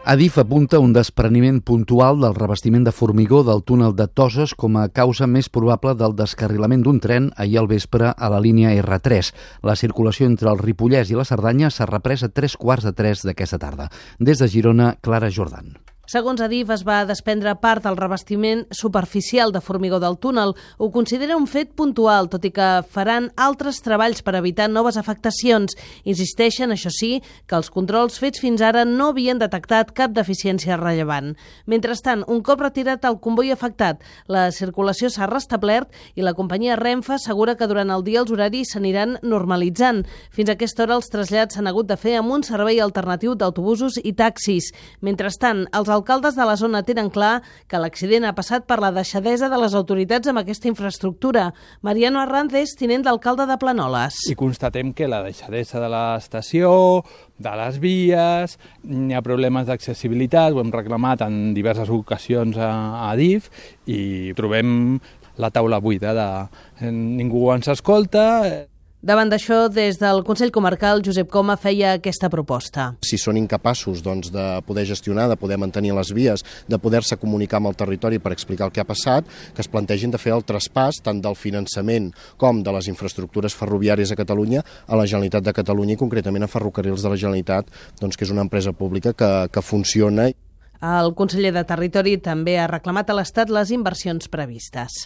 Adif apunta un despreniment puntual del revestiment de formigó del túnel de Toses com a causa més probable del descarrilament d'un tren ahir al vespre a la línia R3. La circulació entre el Ripollès i la Cerdanya s'ha reprès a 2:45 d'aquesta tarda. Des de Girona, Clara Jordan. Segons Adif, es va desprendre part del revestiment superficial de formigó del túnel. Ho considera un fet puntual, tot i que faran altres treballs per evitar noves afectacions. Insisteixen, això sí, que els controls fets fins ara no havien detectat cap deficiència rellevant. Mentrestant, un cop retirat el comboi afectat, la circulació s'ha restablert i la companyia Renfe assegura que durant el dia els horaris s'aniran normalitzant. Fins a aquesta hora els trasllats s'han hagut de fer amb un servei alternatiu d'autobusos i taxis. Mentrestant, els alcaldes de la zona tenen clar que l'accident ha passat per la deixadesa de les autoritats amb aquesta infraestructura. Mariano Arranz és tinent d'alcalde de Planoles. I constatem que la deixadesa de l'estació, de les vies, hi ha problemes d'accessibilitat, ho hem reclamat en diverses ocasions a Adif i trobem la taula buida, ningú ens escolta. Davant d'això, des del Consell Comarcal, Josep Coma feia aquesta proposta. Si són incapaços de poder gestionar, de poder mantenir les vies, de poder-se comunicar amb el territori per explicar el que ha passat, que es plantegin de fer el traspàs tant del finançament com de les infraestructures ferroviàries a Catalunya a la Generalitat de Catalunya i concretament a Ferrocarrils de la Generalitat, que és una empresa pública que funciona. El conseller de Territori també ha reclamat a l'Estat les inversions previstes.